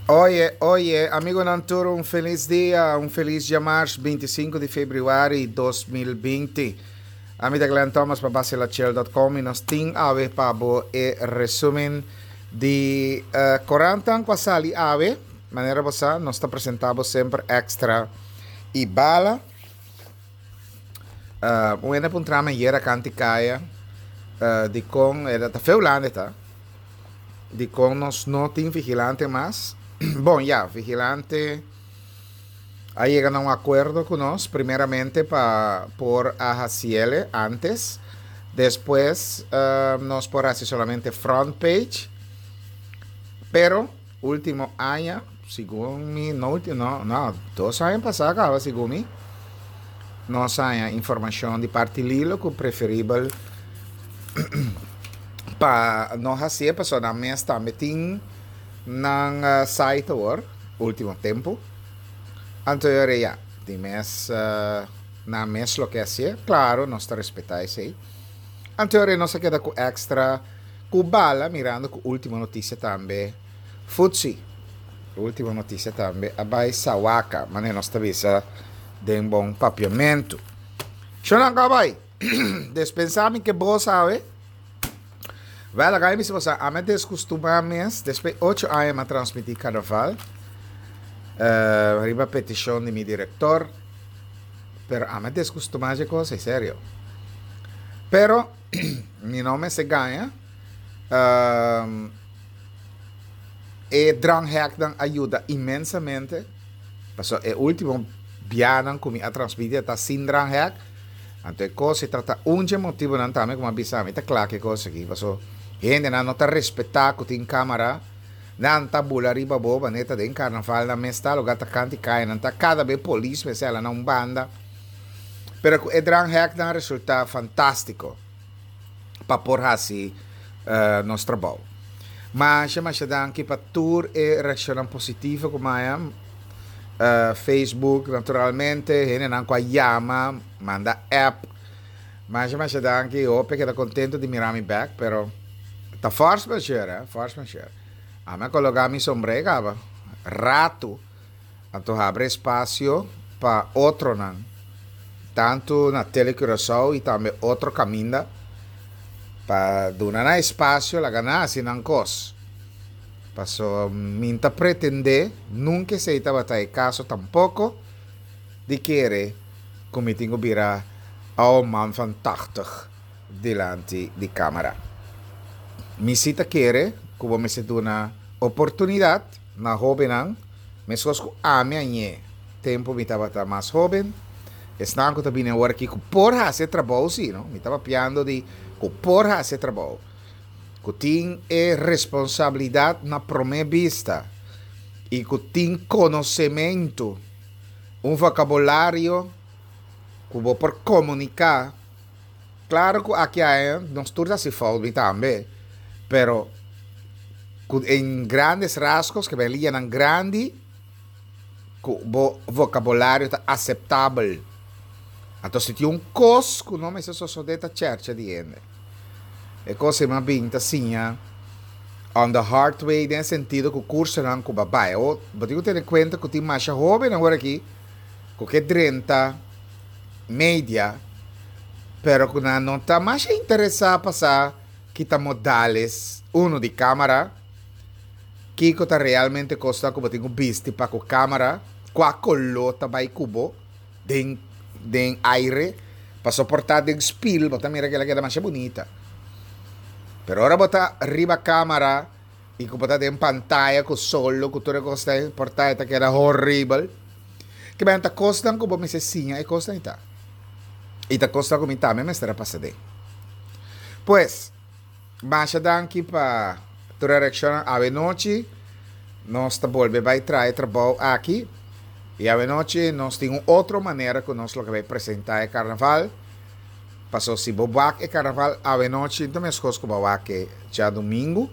Oye, oye, amigonan tur un felis dia, un felis djamars 25 di februari 2020. Ami ta Glenn Thomas pa basilachel.com y nos tin awe pa bo e resumen di uh, korantan ku a sali awe. Manera bo sa, nos ta presenta bo semper extra y bala. Uh, un hende puntra mi ayera kanti kaya uh, di kon, era ta feu lande ta, di kon nos no tin vigilante mas. Bon, ya, vigilante a yega na un akuerdo ku nos, primeramente pa por a hasiele antes, despues uh, nos por hasi solamente front page, pero Ultimo aña, segun mi, no ultimo, no, no, dos aña pasá kaba, segun mi, nos haña informashon di parti Lilo ku preferibel pa no hasié pasobra nan mes tambe tin nan site awor, ultimo tempu. Anto e ora ya, di mes nan mes loke hasié, klaro nos ta respetá esei. Anto e ora nos a keda ku extra. Ku bala mirando ku ultimo notisia tambe Futsi ultimo notisia tambe a bai Sawaka manera nos ta bisa den bon papiamentu. Shonnan ku a bai despensa mi ke bo sabe Wel laga mi bisa boso ami a deskustumá mes despues ocho aña mi a transmití karnaval riba petishon di mi direktor pero ami a deskustumá dje kos ei serio pero Mi no mester gaña. E drangheknan a yuda inmensamente. Pasobra e ultimo bianan ku mi a transmiti a ta sin dranghek. Anto e kos e trata un dje motibonan tambe ku mi a bisa mi ta kla ku e kos aki. Pasobra hendenan no ta respetá ku tin kamara. Nan ta bula riba bo manera ta den karnaval nan mes ta loga ta kanti kaya nan ta kada be polis mester hala na un banda. Pero ku e drangheknan a resultá fantástiko pa por hasi nos trabou. Masha masha danki pa tur e reakshonnan positivo ku maya. Facebook naturalmente, hendenan ku a yama, manda app. Masha masha danki, hopi a keda kontento di mira mi bèk, pero ta force majeure, force majeure. Ami a koloká mi sombré kaba ratu. Anto habri espasio pa otronan, tantu na Tele Curaçao i tambe otro kaminda, pa duna nan espasio laga nan hasi nan kos. Paso mi ta pretendé, nunka esei tabata e kaso tampoko, di kere ku mi tin ku bira oude man van tachtig dilanti di kamera. Mi si ta kere ku bo mester duna oportunidat na hóbennan, meskos ku ami a ñe tempu mi tabata mas hóben, esnan ku ta bini awor aki ku por hasi e trabou si, no, mi ta papiando di ku por hasi e trabou, ku tin e responsabilidat na promé bista i ku tin konosementu, un vokabulario ku bo por komuniká. Klaro ku aki aya nos tur ta hasi fout, mi tambe, pero ku en grandes rasgos ke ben liñanan grandi ku bo vokabulario ta aseptabel. Anto si tin un kos ku no mester sosodé ta chèrchè di hende. E kos ei mas bin ta siña on the hard way den e sentido ku kursonan ku bo a bai. Awor bo tin ku tene kuenta ku tin masha hóbennan awor aki ku ke drenta media, pero ku nan no ta masha interesá pa sa ki ta modales, uno di kámara, kiko ta realmente kosnan ku bo tin ku bisti pa ku kámara, kua koló ta bai ku bo den den aire, pasobra por ta den spil bo ta mira ku el a keda masha bunita, pero ora bo ta riba kámara i ku bo ta den pantaya ku solo ku tur e kosnan ei por ta e ta keda horibel. Kiba ta kosnan ku bo mester siña e kosnan ei ta. I ta kosnan ku mi tambe mester a pasa den. Pues, masha danki pa tur e reakshonnan. Awenochi nos ta bolbe bai traha e trabou aki. I awenochi nos tin un otro manera ku nos lo ke bai presentá e karnaval. Paso si bo wak e karnaval awenochi ta meskos ku bo a wak e djadumingu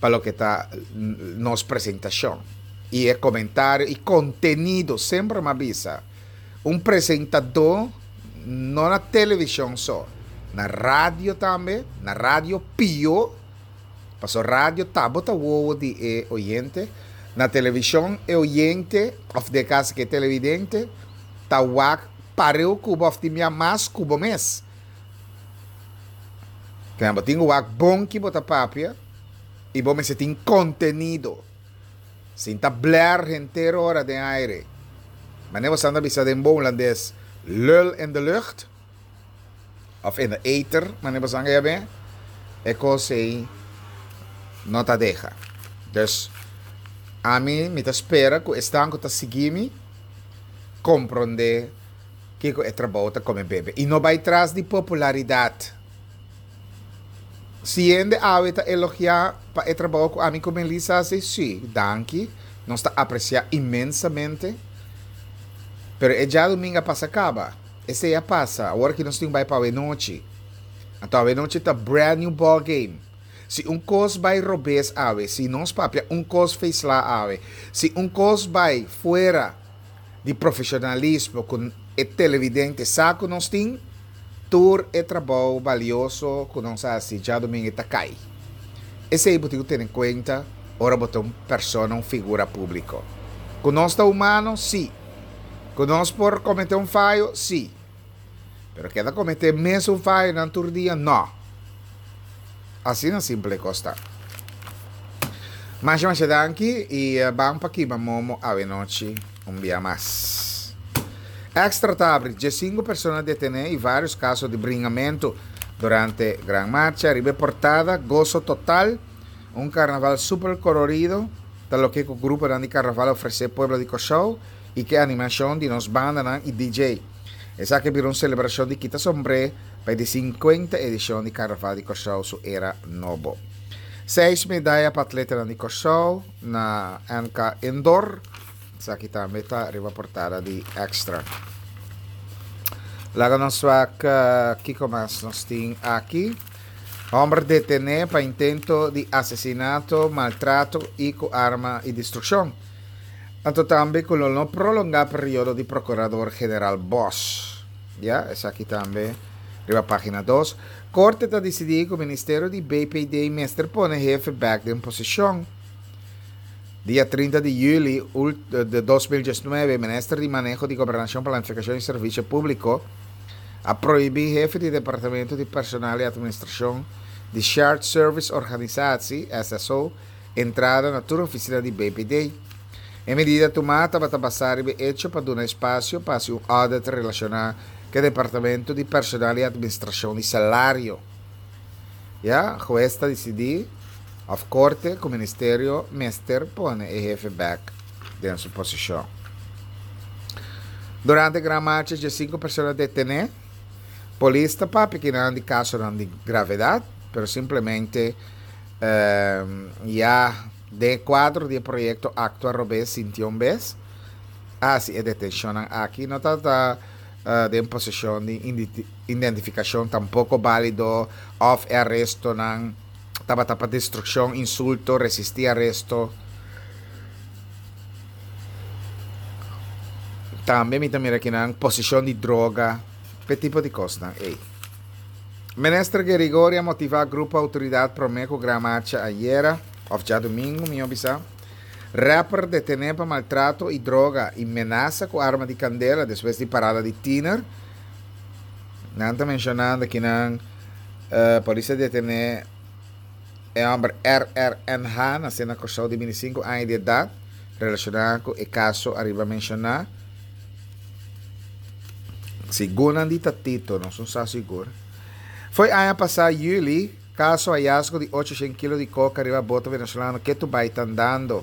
pa loke ta nos presentashon i e komentario i kontenido. Semper mi a bisa un presentadó no na televishon so, na radio tambe, na radio pio, paso radio ta bo ta wowo di e oyente. Na televishon e oyente òf den e kaso ku e televidente ta wak pareu ku bo òf tin bia mas ku bo mes. Kende bo tin ku wak bon ki bo ta papia i bo mester tin kontenido. Sin ta blèr henter ora den aire. Manera bo sa ta bisa den bon hulandes, lul in de lucht. Of in de ether, manera bo sa yam'é, e kos ei no ta deha. Dus, ami mi ta spera ku esnan ku ta sigui mi komprondé kiko e trabou ta kome bebe i no bai tras di popularidat. Si hende awe ta elogiá pa e trabou ku ami ku Melissa hasi, sí, danki, nos ta apresiá inmensamente. Pero e djadumingu a pasa kaba. Esei a pasa, awor aki nos tin bai pa awenochi. Anto awenochi ta brand new ball game. Si un kos bai robes awe, si nos papia un kos feisla awe, si un kos bai fuera di profesionalismo ku e televidente sa ku nos tin, tur e trabou balioso ku nos a hasi djadumingu ta kai. Esei bo tin ku tene kuenta ora bo ta un persona, un figura públiko. Ku nos ta humano, sí. Ku nos por kometé un fayo? Sí. Pero keda kometé mesun fayonan tur dia? No. Asina simple e kos ta. Masha masha danki i ban pa kima momo awenochi un bia mas. Extra ta abri diesinku persona detené i vários kaso di bringamentu durante Gran Marcha. Riba e portada, Goso Total, un karnaval super kolorido. Ta loke ku gruponan di karnaval a ofresé pueblo di Kòrsou i ku e animashon di nos bandanan i DJ. Esaki a bira un selebrashon di kita sombré pa e di sinkuenta edishon di Karnaval di Kòrsou su era nobo. Seis medaya pa atletanan di Kòrsou na NK Indoor. Esaki tambe ta riba portada di Extra. Laga nos wak kiko mas nos tin aki. Homber detené pa intento di asesinato, maltrato i ku arma i destrukshon. Anto tambe ku lo no prolongá periodo di Prokurador General Bosch. Ya, esaki tambe riba página dos. Korte ta disidí ku Ministerio di BPD mester pone hefe bèk den posishon. Dia 30 di yüli di 2019 Minister di Maneho di Gobernashon, Planifikashon i Servisio Públiko a prohibí hefe di Departamento di Personal i Administrashon di Shared Service Organisatie, SSO, entrada na tur ofisina di BPD. E medida tumá tabata basá riba e echo pa duna espasio pa hasi un audit relashoná ku e Departamento di Personal i Administrashon di Salario. Ya, hues ta disidí, òf korte, ku ministerio mester pone e hefe bèk den su posishon. Durante Gran Marcha djesinku persona detené. Polis ta papia kinan di kasonan di gravedat, pero simplemente ya den e kuadro di e proyekto Aktua Robes Sinti Un Bes a hasi e detenshonnan aki. No tabata den poseshon di identifikashon tampoko bálido òf e arestonan tabata pa destrukshon, insulto, resistí aresto. Tambe mi ta mira kinan posishon di droga, p'e tipo di kosnan ei. Minister Gerigory a motivá grupo outoridat promé ku Gran Marcha ayera, òf djadumingu mihó bisá. Rapper detené pa maltrato i droga i menasa ku arma di kandela despues di parada di tiner. Nan ta menshonando kinan polis a detené e hòmber RRNH, nasé na Kòrsou di 25 aña di edat, relashoná ku e kaso ariba menshoná. Segun nan di ta Tito, nos no sa sigur. Fo'i aña pasá yüli, kaso hayasgo di 800 kilo di koka riba boto venezolano ketu bai ta andando.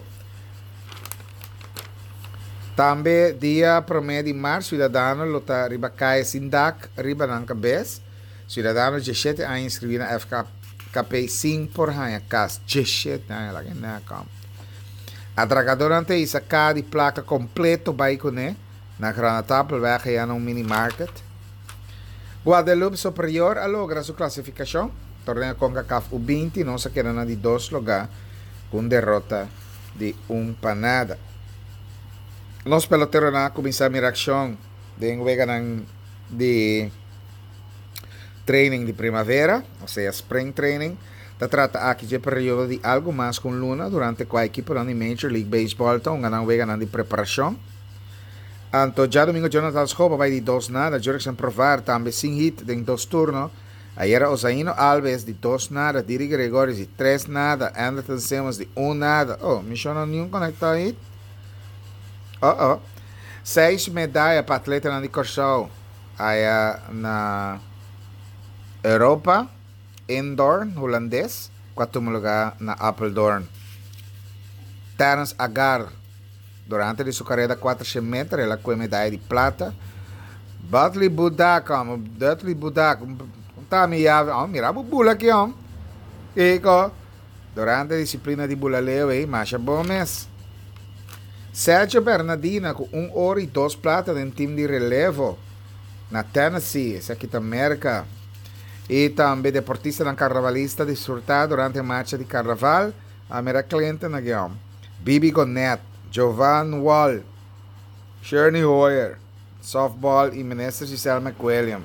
Tambe dia promé di mart siudadano lo ta riba kaya sin dak riba nan kabes. Siudadano djeshete aña inskribí na FKP sin por haña kas. Djeshete aña, laga e nèk om. Atrakadonan ta hisa kaha di plaka kompleto bai kuné na Granatapelweg ayá na un minimarket. Guadeloupe Superior a logra su klasifikashon. Torneo Concacaf U 20 nos a keda na di dos lugá ku un derota di un pa nada. Nos peloteronan a kuminsá mira akshon den weganan di training di primavera, osea spring training. Ta trata aki dje periodo di algu mas ku un luna durante kua ekiponan di Major League Baseball ta hunga nan weganan di preparashon. Anto djadumingu Jonathan Schoop a bai di dos nada, Jurickson Profar tambe sin hit den dos turno. Ayera Ozaino Alves di dos nada, Didi Gregorius di tres nada, Andrelton Simmons di un nada. Oh, mi shon no niun konektá hit? Oh oh. Seis medaya pa atletanan di Kòrsou aya na Europa, Indoorn, Hulandes, ku a tuma lugá na Apeldoorn. Terence Agar. Durante di su kareda kuatershen meter el a kue medaya di plata. Budley Budak, hom, Dudley Budak, un ta mi yavi, hom, mira bo bula aki, hom. Kiko? Durante disiplina di bula leu ei, masha bon mes. Sergio Bernadina ku un oro i dos plata den tim di relevo na Tennessee, esaki ta Merka. I tambe deportistanan karnavalista disfrutá durante marcha di karnaval. A mira Clinton aki hom. Bibi Gonet, Jovan Wall, Sherney Hoyer, softball y Minister Giselle McWilliam.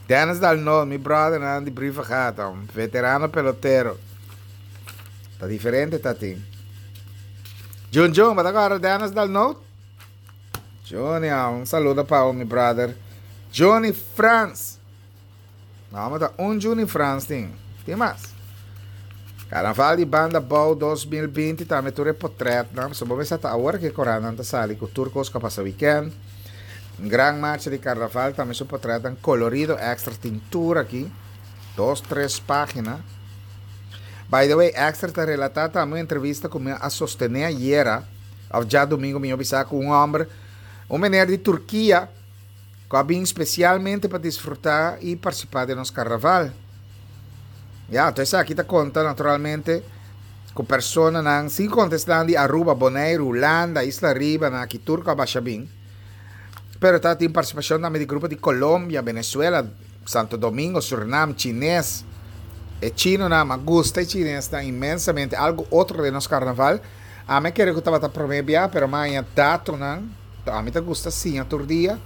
Dennis Dalnoot, mi brothernan di Brievengat hom, veterano pelotero. Ta diferente ta tin. Jun Jun, bo ta acorda Dennis Dalnoot? Johnny, un saludo pa bo mi brother. Johnny Frans. No, ta un Juni Frans tin. Tin mas. Carnaval di Banda Bou 2020 tambe tur e potretnan. So bo mester ta awor ke korannan ta sali ku tur kos ku a pasa weekend. Gran marcha di carnaval tambe su potretnan kolorido extra tin tur aki. Dos, tres pagina. By the way, extra ta relata tambe un entrevista ku mi a sostene ayera, of djadumingu mi a bisa ku un homber, un meneer di Turkia, ku a bin spesialmente pa disfrutá i partisipá den nos karnaval. Ya, anto esaki ta konta naturalmente ku personanan, sin konta esnan di Aruba, Boneiru, Hulanda, Isla Riba, nan aki tur ku a basha bin. Pero ta tin partisipashon tambe di grupo di Colombia, Venezuela, Santo Domingo, Surinam, Chines. E chinonan, mi a gusta e chinesnan inmensamente, algu otro den nos karnaval. Ami a kere ku tabata promé bia, pero mi a haña datonan. Ami ta gusta siña tur dia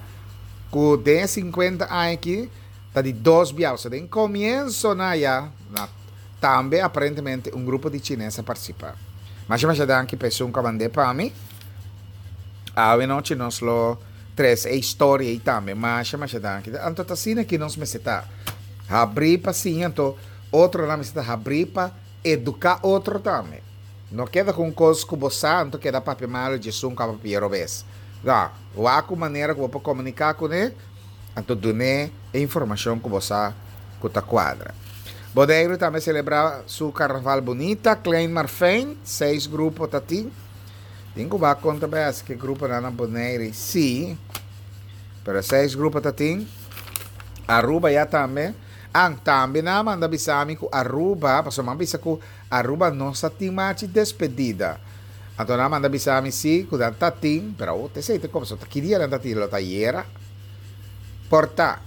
ku den e sinkuenta aña aki ta di dos bia, osea den komiensonan ya na tambe aparentemente un grupo di chines a partisipa. Masha masha danki pa esun ku a mand'é pa mi. Awe nochi nos lo trese e historia ei tambe. Masha masha danki. Anto ta asina ki nos mester ta habrí pa siña anto otronan mester ta habrí pa eduká otro tambe. No keda ku un kos ku bo sa, anto keda papia malu djesun ku a papia robes. No, wak un manera ku bo por komuniká kuné, anto dun'é e informashon ku bo sa ku ta kuadra. Boneiru tambe selebrá su karnaval bunita, Klein maar Fijn, seis grupo ta tin. Tin ku wak konta bes ke gruponan na Boneiru sí, pero seis grupo ta tin. Aruba ya tambe. An, tambe nan a manda bisa mi ku Aruba, pasobra mi a bisa ku Aruba no sa tin machi despedida. Anto nan a manda bisa mi si cu nan ta tin, pero awor esey ta como, so ta ki dia nan ta tin? Lo ta ayera? Por ta.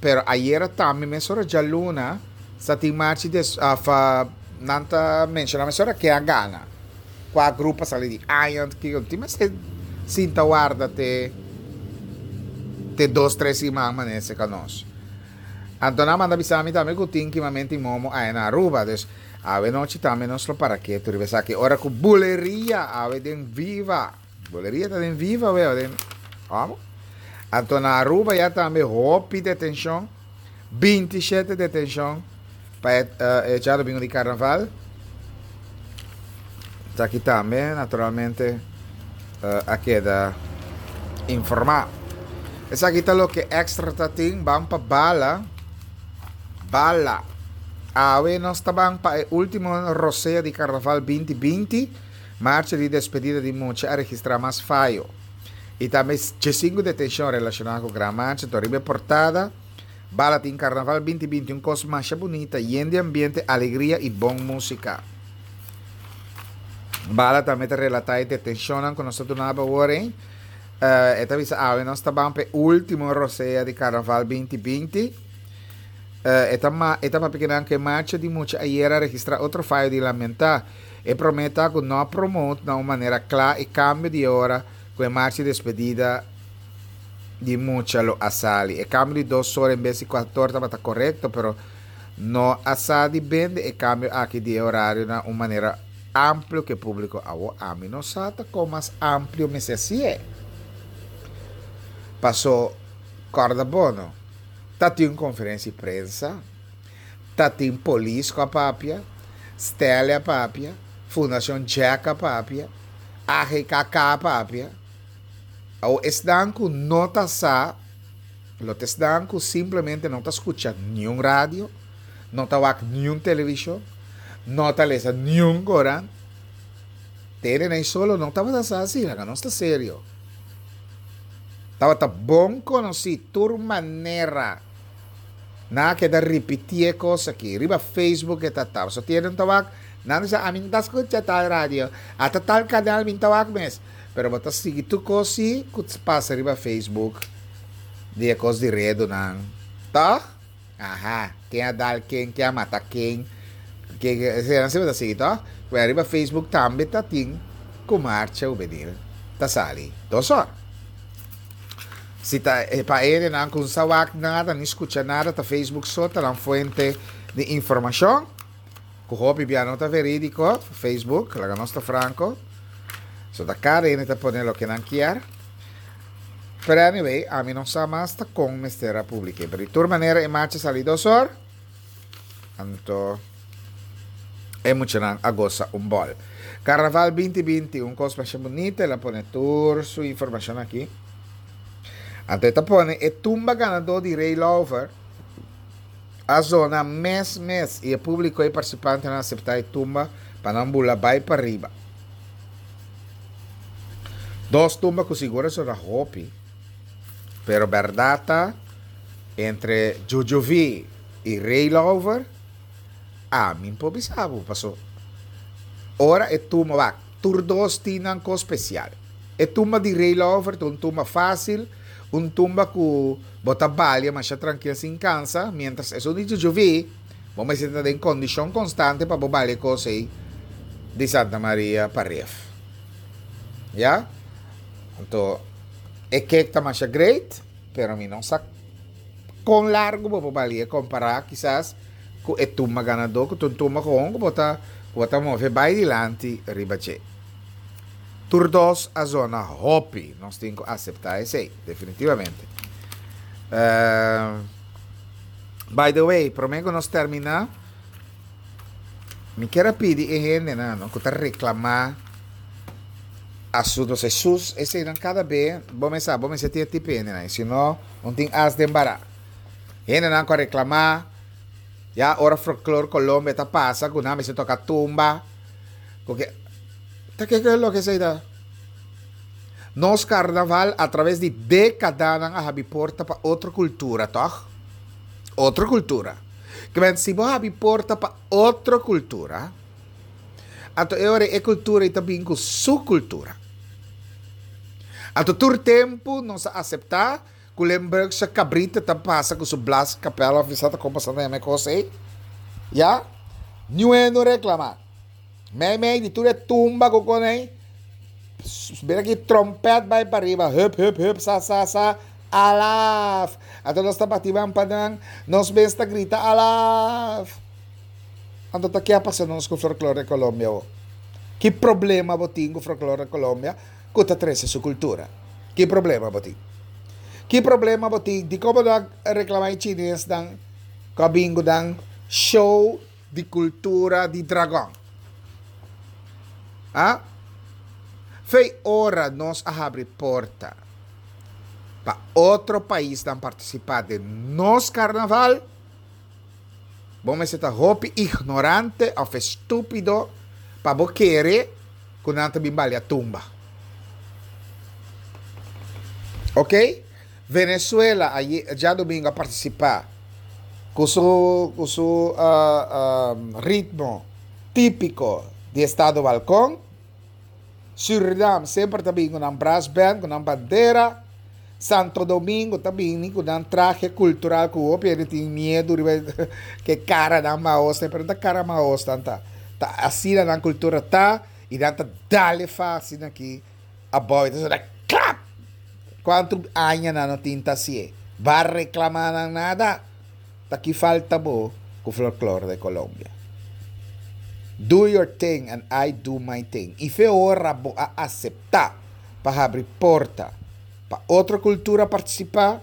Pero ayera tambe mesora djaluna sa tin machi des of nan ta menciona mesora ken a gana. Cua grupo a sali di aña, kico. Tin mester sinta warda te te dos tres siman manece ca nos. Anto nan a manda bisa mi tambe cu tin kimamento y momo aya na Aruba. Dus awe nochi tambe nos lo para ketu riba esaki. Ora cu buleria awe den Viva. Buleria ta den Viva awe den amo. Anto na Aruba ya tambe hopi detencion. 27 detencion pa e e djadomingo di carnaval. Esaki tambe naturalmente a keda informa. Esaki ta loke extra ta tin. Ban pa bala. Bala. Awe nos ta ban pa e ultimo rosea di Carnaval 2020. Marcha di despedida di mucha a registra mas fayo. Y tambe 15 detencion relaciona cu Gran Marcha. Toriba e portada. Bala tin Carnaval 2020 un cos masha bunita, yen di ambiente, alegria y bon musica. Bala tambe ta relata e detencionnan cu nos ta duna awor ey. E ta bisa awe nos ta ban pa e ultimo rosea di Carnaval 2020. E ta ma e ta papia kinan cu e marcha di mucha ayer a registra otro fayo di lamenta. E prome ta cu no a promote na un manera cla e cambio di e ora cu e marcha di despedida di mucha lo a sali. E cambio di dos ora en bes di cuater tabata corecto, pero. No a sa di bende e kambio aki di e orario na un manera amplio ku e públiko. Awor ami no sa ta kon mas amplio mester hasié. Paso kòrda bo no, ta tin un konferensia di prensa, ta tin polis ku a papia, Stelle a papia, Fundashon Jack a papia, AGKK a papia. Awor esnan ku no ta sa, lo ta esnan ku simplemente no ta skucha niun radio, no ta wak niun televishon, no ta lesa niun koran. Tene nan solo no tabata sa asina, laga nos ta serio. Tabata bon konosí tur manera nan a keda ripití e kos aki. Riba Facebook e ta ta. So tienen ta wak, nan ta bisa ami no ta skucha tal radio, ata tal kanal mi no ta wak mes. Pero bo ta sigui tur kos si ku ta pasa riba Facebook di e kos di redonan, tòg? Aha, ken a dal ken, ken a mata ken, ken esei si bo ta sigui tòg? Bueno, riba Facebook tambe ta tin ku marcha hubenil ta sali dos or. Si ta pa hendenan ku no sa wak nada ni skucha nada ta Facebook so ta nan fuente di informashon. Ku hopi bia no ta verídiko, Facebook, laga nos ta franko. So ta kada hende ta pone loke nan kier. Pero anyway, ami no sa mas ta kon mester a publik'é. Pero di tur manera e marcha sali dos or, anto e muchanan a gosa un bòl. Karnaval 2020, un kos masha bunita, el a pone tur su informashon aki. Anto e ta pone e tumba ganadó di Ray Lawver. A zona mes mes i e públiko i partisipantenan a aseptá e tumba pa nan bula bai pariba. Dos tumba ku sigur a zona hopi, pero bèrdat ta entre Jujuvi i Ray Lawver, ami por bisa bo paso ora e tumba wak tur dos tin nan kos spesial. E tumba di Ray Lawver ta un tumba fásil, un tumba ku Bo ta balia masha trankil sin kansa, mientras esun di Jujuvi, bo mester ta den kondishon konstante pa bo balia e kos ei di Santa Maria pa Rif. Ya? Anto, e kek ta masha great, pero mi no sa kon largu bo por balia kompará kisas ku e tumba ganadó, ku ta un tumba gewoon ku bo ta ku bo ta move bai dilanti riba dje. Tur dos a zona hopi, nos tin cu acepta esey, definitivamente. By the way, prome cu nos termina, mi kier a pidi e hendenan no, cu ta reclama asuntos Jesus, eseynan cada be, bo mes sa, bo mester tin e tipo e hendenan, si no, un tin as den bara. Hendenan cu a reclama, ya ora Folklor Colombia ta pasa cu nan mester toca tumba, cu ke. Ta kiko e loke esei ta? Nos karnaval a traves di dékadanan a habi porta pa otro kultura, tòg? Otro kultura. Ke men si bo habi porta pa otro kultura, anto e ora e kultura ei ta bin ku su kultura. Anto tur tempu nos a aseptá ku Limburgse kabrita ta pasa ku su blaskapèl òf mi sa ta kon pasa ta yama e kos ei. Ya? Niun hende no reklamá. Mei mei di tur e tumba ku kon ei, bira ki trompèt bai pariba, hup hup hup sa sa sa, alaf! Anto nos ta bati man pa nan, nos mes ta grita alaf! Anto ta ke a pasa nos ku Folklore Colombia awo? Ki problema bo tin ku Folklore Colombia ku ta trese su kultura? Ki problema bo tin? Ki problema bo tin? Dikon bo no a reklama e chinesnan ku a bin ku nan show di kultura di dragon. A Fei ora nos a habri porta pa otro paisnan partisipá den nos karnaval, bo mester ta hopi ignorante òf estúpido pa bo kere ku nan ta bin balia tumba. Oke? Venezuela aye djadomingo a partisipá ku su ku su ritmo típiko di estado Balkon. Surinam semper ta bin ku nan brass band, ku nan bandera. Santo Domingo ta bini ku nan trahe kultural ku hopi hende tin miedu riba ke karanan mahos pero no ta kara mahos nan ta. Ta asina nan kultura ta i nan ta dal e fa asina aki abou i ta sona klap! Kuantu aña nan no tin ta hasié? Ba reklamá nan nada? Ta ki falta bo Ku folklore de Colombia. Do your thing and I do my thing. I fe ora bo a aseptá pa habri porta pa otro kultura partisipá,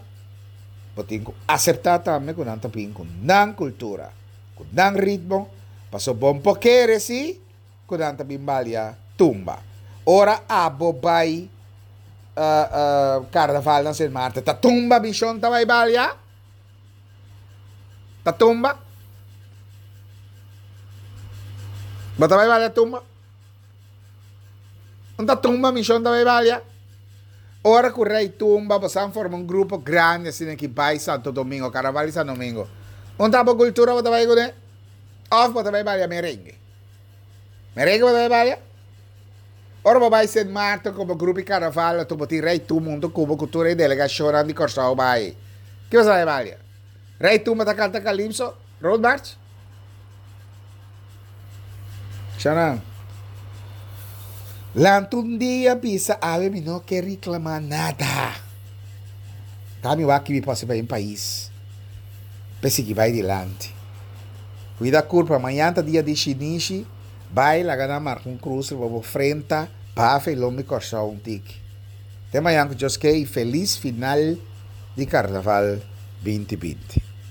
bo tin ku aseptá tambe ku nan ta bin ku nan kultura, ku nan ritmo, pasobra bo no por kere si ku nan ta bin balia tumba. Ora abo bai karnaval na Sint Maarten ta tumba mishon ta bai balia? Ta tumba? Bo ta bai balia tumba? Un ta tumba mishon ta bai balia? Ora ku rei tumba bo san forma un grupo grandi asina ki bai Santo Domingo, Carnaval di Santo Domingo. Un ta bo kultura bo ta bai kuné? Òf bo ta bai balia merengue? Merengue bo ta bai balia? Ora bo bai Sint Maarten ku bo grupo di karnaval anto bo tin Rei Tumba huntu ku bo ku tur e delegashonnan di Kòrsou bai. Ki bo sa bai balia? Rei Tumba ta kanta kalipso? Road march? Shanan. Lanta un dia bisa awe mi no ke reklamá nada. Ta mi wak ki mi por hasi pa mi pais p'e sigui bai dilanti. Kuida kurpa, mañan ta dia di shinishi. Bai laga nan marka un krus riba bo frenta, bafa i lombi Kòrsou un tiki. Te mañan ku Dios ke i felis final di Karnaval 2020.